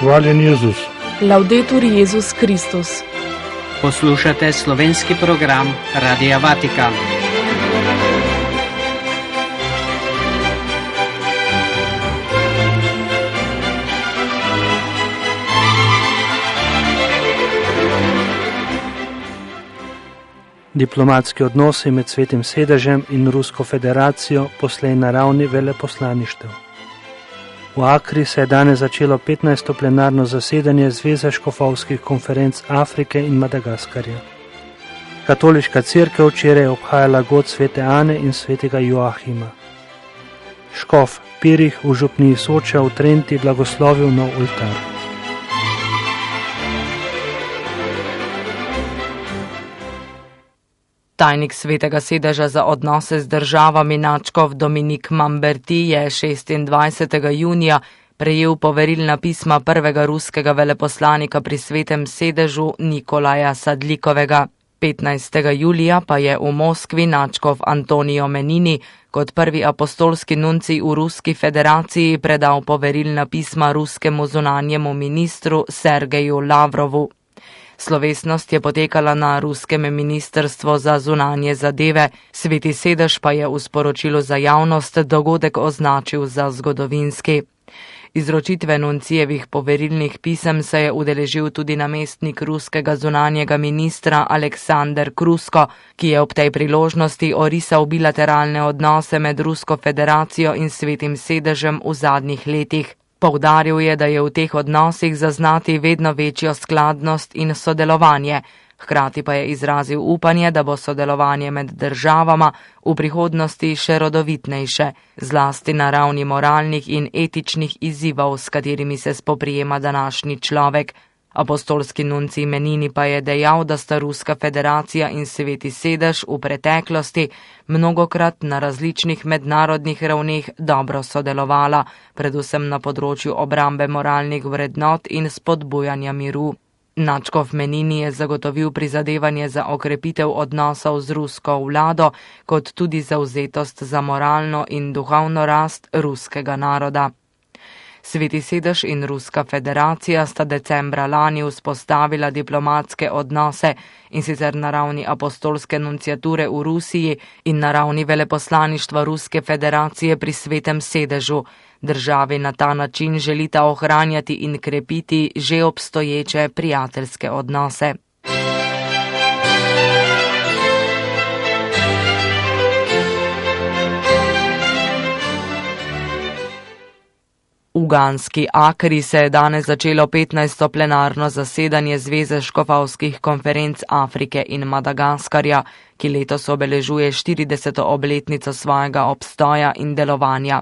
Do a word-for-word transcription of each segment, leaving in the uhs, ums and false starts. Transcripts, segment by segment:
Hvaljen Jezus. Laudetur Jezus Kristus. Poslušate slovenski program Radia Vatikan. Diplomatski odnosi med Svetim sedežem in Rusko federacijo poslej na ravni veleposlaništev. V Akri se je danes začelo petnajsto plenarno zasedanje Zveze škofovskih konferenc Afrike in Madagaskarja. Katoliška cerkev včeraj je obhajala god svete Ane in svetega Joahima. Škof Pirih v župniji Soča v Trenti blagoslovil nov oltar. Tajnik Svetega sedeža za odnose z državami nadškof Dominik Mamberti je šestindvajsetega junija prejel poverilna pisma prvega ruskega veleposlanika pri Svetem sedežu Nikolaja Sadlikovega. petnajstega julija pa je v Moskvi nadškof Antonijo Menini kot prvi apostolski nuncij v Ruski federaciji predal poverilna pisma ruskemu zunanjemu ministru Sergeju Lavrovu. Slovesnost je potekala na ruskem ministrstvu za zunanje zadeve, Sveti sedež pa je v sporočilu za javnost dogodek označil za zgodovinski. Izročitve nuncijevih poverilnih pisem se je udeležil tudi namestnik ruskega zunanjega ministra Aleksander Krusko, ki je ob tej priložnosti orisal bilateralne odnose med Rusko federacijo in Svetim sedežem v zadnjih letih. Poudaril je, da je v teh odnosih zaznati vedno večjo skladnost in sodelovanje, hkrati pa je izrazil upanje, da bo sodelovanje med državama v prihodnosti še rodovitnejše, zlasti na ravni moralnih in etičnih izzivov, s katerimi se spoprijema današnji človek. Apostolski nuncij Menini pa je dejal, da sta Ruska federacija in Sveti sedež v preteklosti mnogokrat na različnih mednarodnih ravneh dobro sodelovala, predvsem na področju obrambe moralnih vrednot in spodbujanja miru. Nadškof Menini je zagotovil prizadevanje za okrepitev odnosov z rusko vlado, kot tudi zavzetost za moralno in duhovno rast ruskega naroda. Sveti sedež in Ruska federacija sta decembra lani vzpostavila diplomatske odnose, in sicer na ravni apostolske nunciature v Rusiji in na ravni veleposlaništva Ruske federacije pri Svetem sedežu. Državi na ta način želita ohranjati in krepiti že obstoječe prijateljske odnose. V ganski Akri se je danes začelo petnajsto plenarno zasedanje Zveze škofovskih konferenc Afrike in Madagaskarja, ki letos obeležuje štirideseto obletnico svojega obstoja in delovanja.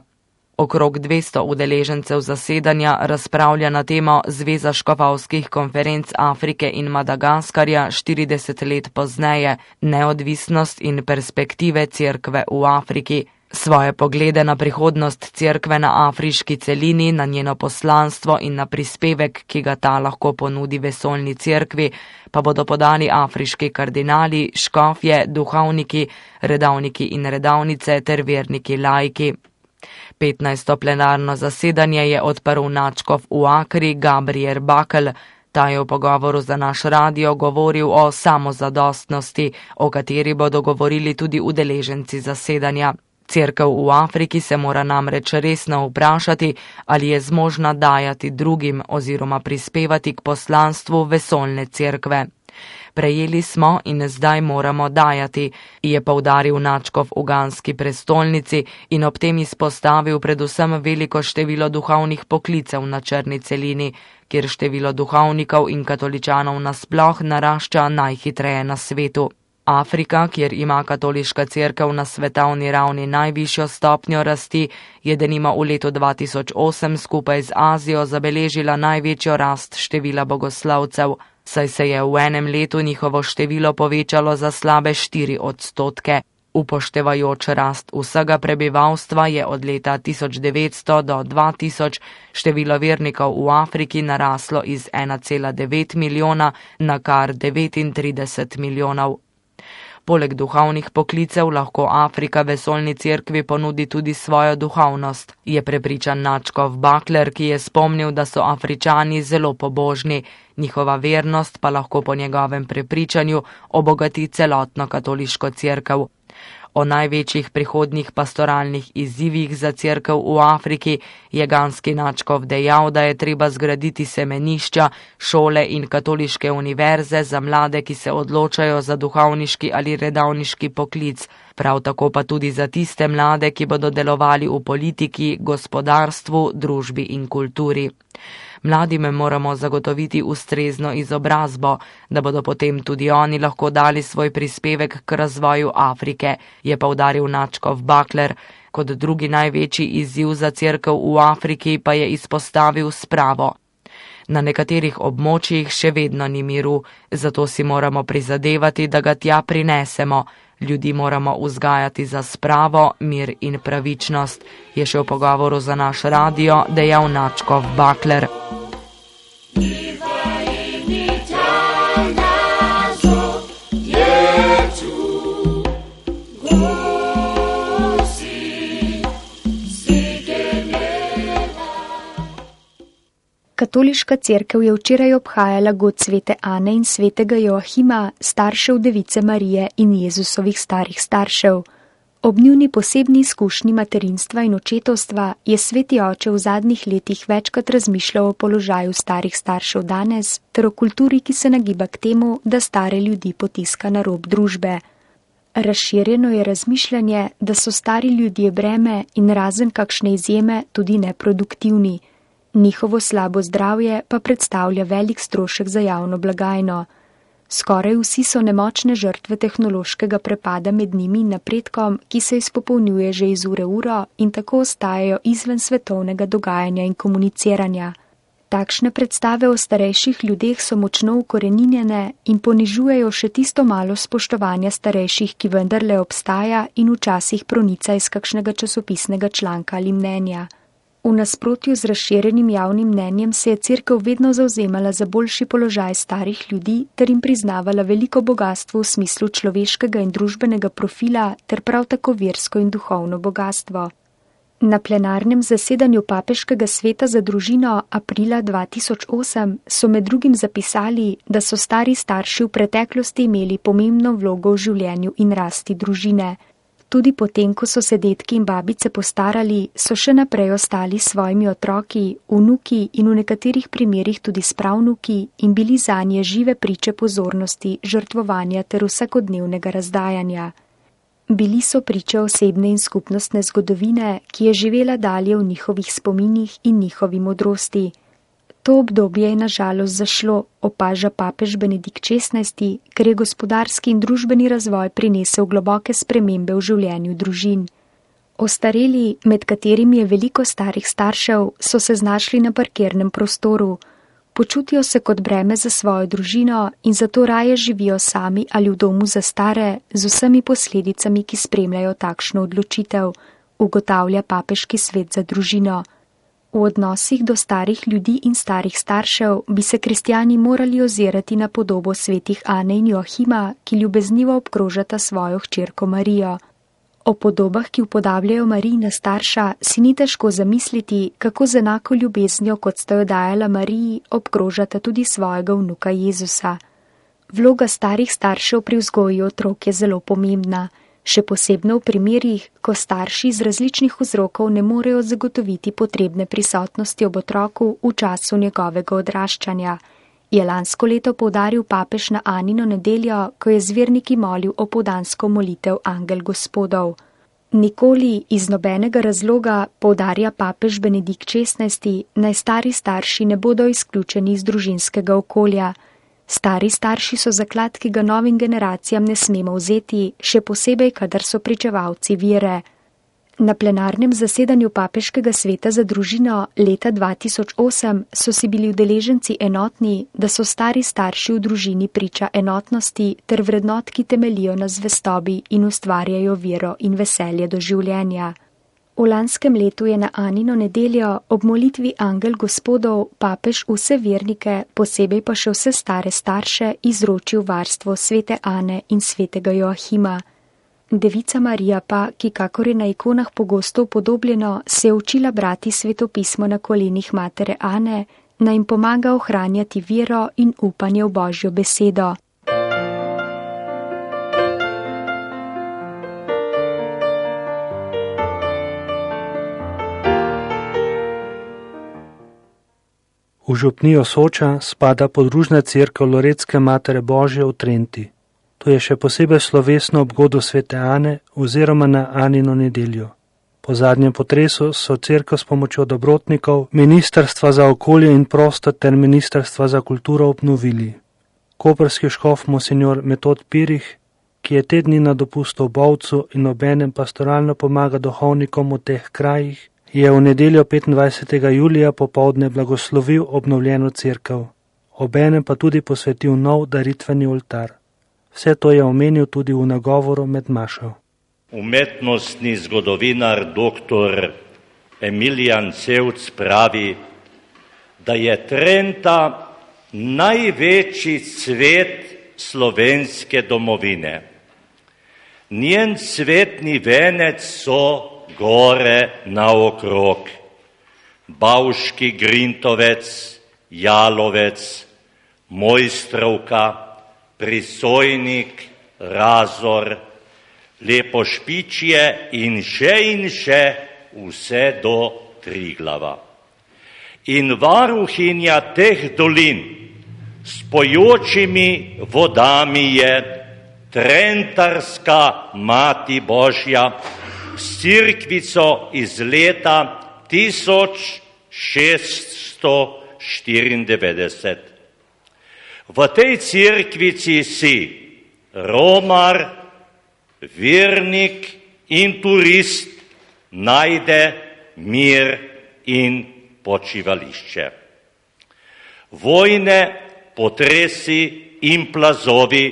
Okrog dvesto udeležencev zasedanja razpravlja na temo Zveza škofovskih konferenc Afrike in Madagaskarja štirideset let pozneje, neodvisnost in perspektive cerkve v Afriki. Svoje poglede na prihodnost cerkve na afriški celini, na njeno poslanstvo in na prispevek, ki ga ta lahko ponudi vesoljni cerkvi, pa bodo podali afriški kardinali, škofje, duhovniki, redavniki in redavnice ter verniki laiki. petnajsto plenarno zasedanje je odprl nadškof v Akri Gabriel Bakel. Ta je v pogovoru za naš radio govoril o samozadostnosti, o kateri bodo govorili tudi udeleženci zasedanja. Cerkev v Afriki se mora namreč resno vprašati, ali je zmožna dajati drugim oziroma prispevati k poslanstvu vesoljne cerkve. Prejeli smo in zdaj moramo dajati, je poudaril nadškof v ganski prestolnici in ob tem izpostavil predvsem veliko število duhovnih poklicev na črni celini, kjer število duhovnikov in katoličanov nasploh narašča najhitreje na svetu. Afrika, kjer ima katoliška cerkev na svetovni ravni najvišjo stopnjo rasti, je denimo v letu dva tisoč osem skupaj z Azijo zabeležila največjo rast števila bogoslavcev, saj se je v enem letu njihovo število povečalo za slabe štiri odstotke. Upoštevajoč rast vsega prebivalstva je od leta tisoč devetsto do dva tisoč število vernikov v Afriki naraslo iz ena cela devet milijona na kar devetintrideset milijonov. Poleg duhovnih poklicev lahko Afrika vesoljni cerkvi ponudi tudi svojo duhovnost, je prepričan nadškof Bakler, ki je spomnil, da so Afričani zelo pobožni, njihova vernost pa lahko po njegovem prepričanju obogati celotno katoliško cerkev. O največjih prihodnjih pastoralnih izzivih za cerkev v Afriki je ganski nadškof dejal, da je treba zgraditi semenišča, šole in katoliške univerze za mlade, ki se odločajo za duhovniški ali redavniški poklic, prav tako pa tudi za tiste mlade, ki bodo delovali v politiki, gospodarstvu, družbi in kulturi. Mladim moramo zagotoviti ustrezno izobrazbo, da bodo potem tudi oni lahko dali svoj prispevek k razvoju Afrike, je poudaril nadškof Bakler. Kot drugi največji izziv za cerkev v Afriki pa je izpostavil spravo. Na nekaterih območjih še vedno ni miru, zato si moramo prizadevati, da ga tja prinesemo. Ljudi moramo vzgajati za spravo, mir in pravičnost, je še v pogovoru za naš radio dejal nadškof Bakler. Katoliška cerkev je včeraj obhajala god svete Ane in svetega Joahima, staršev Device Marije in Jezusovih starih staršev. Ob njuni posebni izkušnji materinstva in očetovstva je sveti oče v zadnjih letih večkrat razmišljal o položaju starih staršev danes ter o kulturi, ki se nagiba k temu, da stare ljudi potiska na rob družbe. Razširjeno je razmišljanje, da so stari ljudje breme in razen kakšne izjeme tudi neproduktivni. Njihovo slabo zdravje pa predstavlja velik strošek za javno blagajno. Skoraj vsi so nemočne žrtve tehnološkega prepada med njimi in napredkom, ki se izpopolnjuje že iz ure v uro in tako ostajajo izven svetovnega dogajanja in komuniciranja. Takšne predstave o starejših ljudeh so močno ukoreninjene in ponižujejo še tisto malo spoštovanja starejših, ki vendarle obstaja in včasih pronica iz kakšnega časopisnega članka ali mnenja. V nasprotju z razširjenim javnim mnenjem se je cerkev vedno zavzemala za boljši položaj starih ljudi ter jim priznavala veliko bogastvo v smislu človeškega in družbenega profila ter prav tako versko in duhovno bogastvo. Na plenarnem zasedanju Papeškega sveta za družino aprila dva tisoč osem so med drugim zapisali, da so stari starši v preteklosti imeli pomembno vlogo v življenju in rasti družine. Tudi potem, ko so se dedki in babice postarali, so še naprej ostali s svojimi otroki, vnuki in v nekaterih primerih tudi spravnuki in bili zanje žive priče pozornosti, žrtvovanja ter vsakodnevnega razdajanja. Bili so priče osebne in skupnostne zgodovine, ki je živela dalje v njihovih spominih in njihovi modrosti. To obdobje je na žalost zašlo, opaža papež Benedikt šestnajsti, ker je gospodarski in družbeni razvoj prinesel globoke spremembe v življenju družin. Ostareli, med katerimi je veliko starih staršev, so se znašli na parkirnem prostoru. Počutijo se kot breme za svojo družino in zato raje živijo sami ali v domu za stare, z vsemi posledicami, ki spremljajo takšno odločitev, ugotavlja Papeški svet za družino. V odnosih do starih ljudi in starih staršev bi se kristjani morali ozirati na podobo svetih Ane in Joahima, ki ljubeznivo obkrožata svojo hčerko Marijo. O podobah, ki upodabljajo Marijina starša, si ni težko zamisliti, kako z enako ljubeznijo, kot sta jo dajala Mariji, obkrožata tudi svojega vnuka Jezusa. Vloga starih staršev pri vzgoji otrok je zelo pomembna. Še posebno v primerih, ko starši iz različnih vzrokov ne morejo zagotoviti potrebne prisotnosti ob otroku v času njegovega odraščanja, je lansko leto poudaril papež na Anino nedeljo, ko je z verniki molil opoldansko molitev Angel Gospodov. Nikoli iz nobenega razloga, poudarja papež Benedikt šestnajsti, naj stari starši ne bodo izključeni iz družinskega okolja. Stari starši so zaklad, ki ga novim generacijam ne smemo vzeti, še posebej, kadar so pričevalci vere. Na plenarnem zasedanju Papeškega sveta za družino leta dva tisoč osem so si bili udeleženci enotni, da so stari starši v družini priča enotnosti ter vrednot, ki temelijo na zvestobi in ustvarjajo vero in veselje do življenja. V lanskem letu je na Anino nedeljo ob molitvi Angel Gospodov papež vse vernike, posebej pa še vse stare starše, izročil varstvo svete Ane in svetega Joahima. Devica Marija pa, ki kakor je na ikonah pogosto upodobljeno, se je učila brati svetopismo na kolenih matere Ane, naj jim pomaga ohranjati vero in upanje v Božjo besedo. V župnijo Soča spada podružna cerkev Loretske matere Božje v Trenti. To je še posebej slovesno ob godu svete Ane oziroma na Anino nedeljo. Po zadnjem potresu so cerkev s pomočjo dobrotnikov, Ministrstva za okolje in prostor ter Ministrstva za kulturo obnovili. Koprski škof monsignor Metod Pirih, ki je te dni na dopustu v Bovcu in obenem pastoralno pomaga duhovnikom v teh krajih, je v nedeljo petindvajsetega julija popoldne blagoslovil obnovljeno cerkev, obenem pa tudi posvetil nov daritveni oltar. Vse to je omenil tudi v nagovoru med mašo. Umetnostni zgodovinar doktor Emilijan Cevc pravi, da je Trenta največji cvet slovenske domovine. Njen cvetni venec so gore naokrog, Bavški Grintovec, Jalovec, Mojstrovka, Prisojnik, Razor, Lepošpičje in še in še vse do Triglava. In varuhinja teh dolin s pojočimi vodami je Trentarska Mati Božja s cerkvico iz leta tisoč šeststo štiriindevetdeset. V tej cerkvici si romar, vernik in turist najde mir in počivališče. Vojne, potresi in plazovi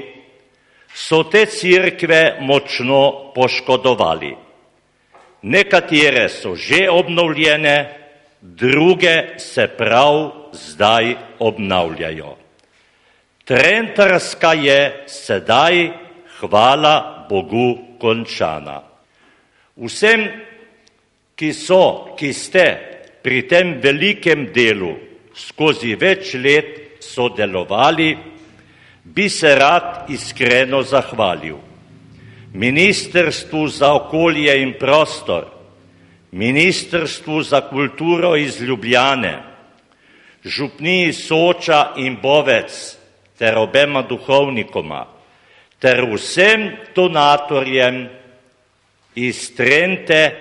so te cerkve močno poškodovali. Nekatere so že obnovljene, druge se prav zdaj obnavljajo. Trentarska je sedaj, hvala Bogu, končana. Vsem, ki so, ki ste pri tem velikem delu skozi več let sodelovali, bi se rad iskreno zahvalil Ministrstvu za okolje in prostor, Ministrstvu za kulturo iz Ljubljane, župniji Soča in Bovec ter obema duhovnikoma, ter vsem donatorjem iz Trente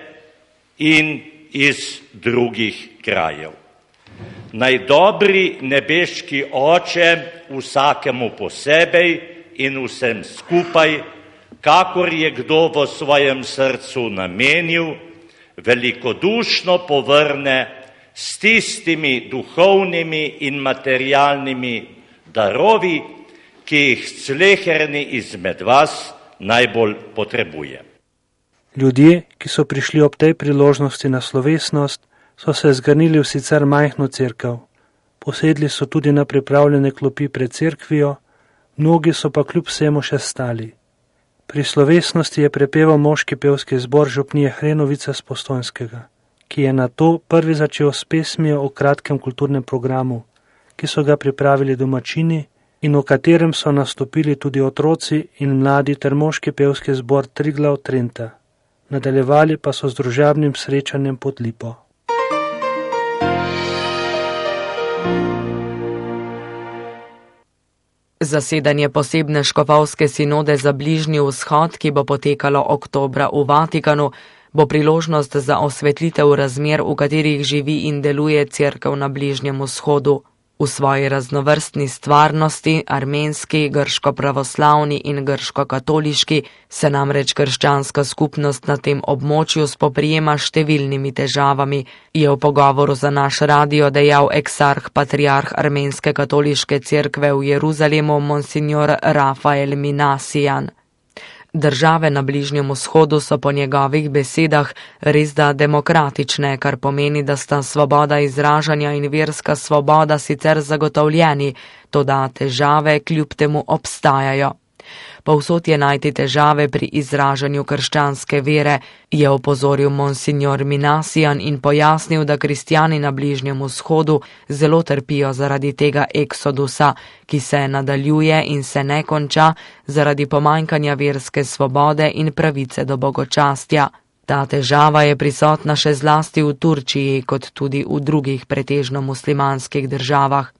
in iz drugih krajev. Naj dobri nebeški Oče vsakemu posebej in vsem skupaj, kakor je kdo v svojem srcu namenil, velikodušno povrne s tistimi duhovnimi in materialnimi darovi, ki jih sleherni izmed vas najbolj potrebuje. Ljudje, ki so prišli ob tej priložnosti na slovesnost, so se zgrnili v sicer majhno cerkev. Posedli so tudi na pripravljene klopi pred cerkvijo, mnogi so pa kljub vsemu še stali. Pri slovesnosti je prepeval moški pevski zbor župnije Hrenovica z Postojnskega, ki je nato prvi začel s pesmijo o kratkem kulturnem programu, ki so ga pripravili domačini in v katerem so nastopili tudi otroci in mladi ter moški pevski zbor Triglav Trenta. Nadaljevali pa so z družabnim srečanjem pod lipo. Zasedanje posebne škofovske sinode za Bližnji vzhod, ki bo potekalo oktobra v Vatikanu, bo priložnost za osvetlitev razmer, v katerih živi in deluje cerkev na Bližnjem vzhodu. V svoji raznovrstni stvarnosti, armenski, grško-pravoslavni in grško-katoliški, se namreč krščanska skupnost na tem območju spoprijema s številnimi težavami, je v pogovoru za naš radio dejal eksarh patriarh armenske katoliške cerkve v Jeruzalemu monsignor Rafael Minasijan. Države na Bližnjem vzhodu so po njegovih besedah resda demokratične, kar pomeni, da sta svoboda izražanja in verska svoboda sicer zagotovljeni, toda težave kljub temu obstajajo. Povsod je najti težave pri izražanju krščanske vere, je opozoril monsignor Minasian in pojasnil, da kristjani na Bližnjem vzhodu zelo trpijo zaradi tega eksodusa, ki se nadaljuje in se ne konča zaradi pomanjkanja verske svobode in pravice do bogočastja. Ta težava je prisotna še zlasti v Turčiji, kot tudi v drugih pretežno muslimanskih državah.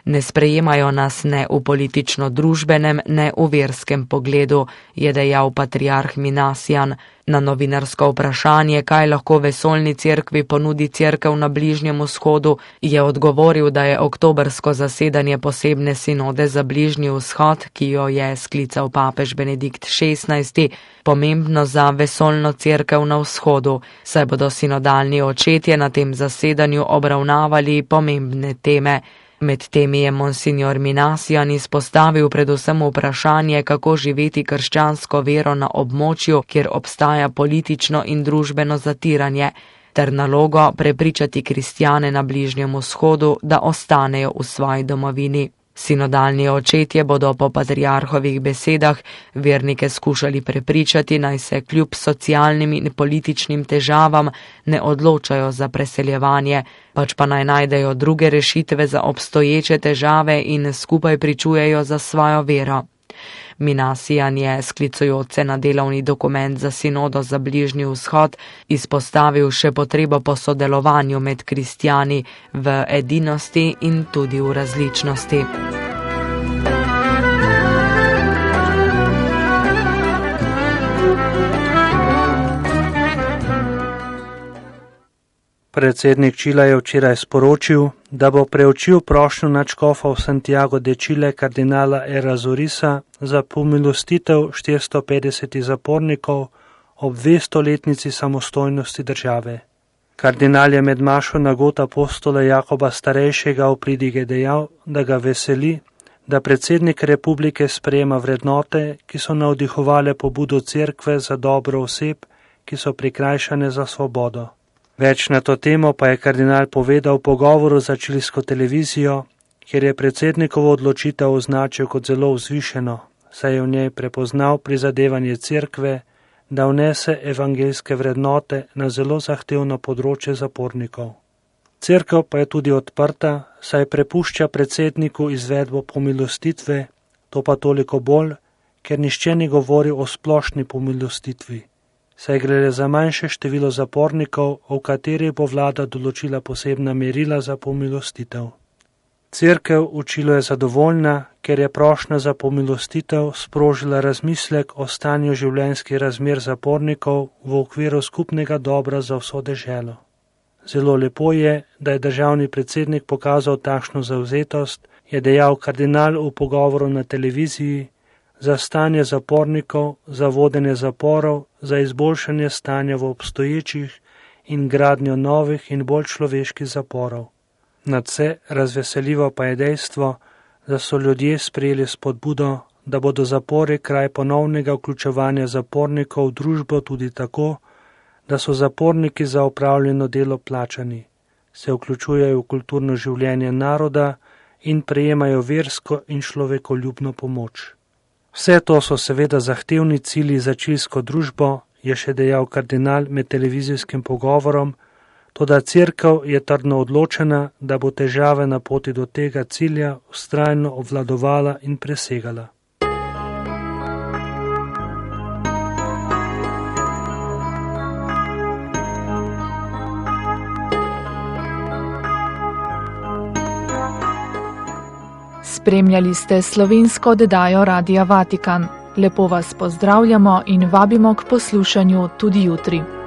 Ne sprejemajo nas ne v politično-družbenem, ne v verskem pogledu, je dejal patriarh Minasian. Na novinarsko vprašanje, kaj lahko vesoljni cerkvi ponudi cerkev na Bližnjem vzhodu, je odgovoril, da je oktobrsko zasedanje posebne sinode za Bližnji vzhod, ki jo je sklical papež Benedikt šestnajsti, pomembno za vesoljno cerkev na vzhodu, saj bodo sinodalni očetje na tem zasedanju obravnavali pomembne teme. Med temi je monsignor Minasian izpostavil predvsem vprašanje, kako živeti krščansko vero na območju, kjer obstaja politično in družbeno zatiranje, ter nalogo prepričati kristjane na Bližnjem vzhodu, da ostanejo v svoji domovini. Sinodalni očetje bodo po patriarhovih besedah vernike skušali prepričati, naj se kljub socialnim in političnim težavam ne odločajo za preseljevanje, pač pa naj najdejo druge rešitve za obstoječe težave in skupaj pričujejo za svojo vero. Minasian je, sklicujoč se na delovni dokument za sinodo za Bližnji vzhod, izpostavil še potrebo po sodelovanju med kristjani v edinosti in tudi v različnosti. Predsednik Čila je včeraj sporočil, da bo preučil prošnjo nadškofa v Santiago de Chile kardinala Errázuriza za pomilostitev štiristo petdeset zapornikov ob dvestoletnici samostojnosti države. Kardinal je med mašo na god apostola Jakoba starejšega v pridige dejal, da ga veseli, da predsednik republike sprejema vrednote, ki so navdihovale pobudo cerkve za dobro oseb, ki so prikrajšane za svobodo. Več na to temo pa je kardinal povedal v pogovoru za čilsko televizijo, kjer je predsednikovo odločitev označil kot zelo vzvišeno, saj je v njej prepoznal prizadevanje cerkve, da vnese evangeljske vrednote na zelo zahtevno področje zapornikov. Cerkev pa je tudi odprta, saj prepušča predsedniku izvedbo pomilostitve, to pa toliko bolj, ker nišče ni govoril o splošni pomilostitvi. Saj gre za manjše število zapornikov, v kateri bo vlada določila posebna merila za pomilostitev. Cerkev v Čilu je zadovoljna, ker je prošnja za pomilostitev sprožila razmislek o stanju življenjskih razmer zapornikov v okviru skupnega dobra za vso deželo. Zelo lepo je, da je državni predsednik pokazal takšno zavzetost, je dejal kardinal v pogovoru na televiziji, za stanje zapornikov, za vodenje zaporov, za izboljšanje stanja v obstoječih in gradnjo novih in bolj človeških zaporov. Nadvse razveseljivo pa je dejstvo, da so ljudje sprejeli spodbudo, da bodo zapori kraj ponovnega vključevanja zapornikov v družbo tudi tako, da so zaporniki za opravljeno delo plačani, se vključujejo v kulturno življenje naroda in prejemajo versko in človekoljubno pomoč. Vse to so seveda zahtevni cilji za čilsko družbo, je še dejal kardinal med televizijskim pogovorom, toda cerkev je trdno odločena, da bo težave na poti do tega cilja vztrajno obvladovala in presegala. Spremljali ste slovensko oddajo Radia Vatikan. Lepo vas pozdravljamo in vabimo k poslušanju tudi jutri.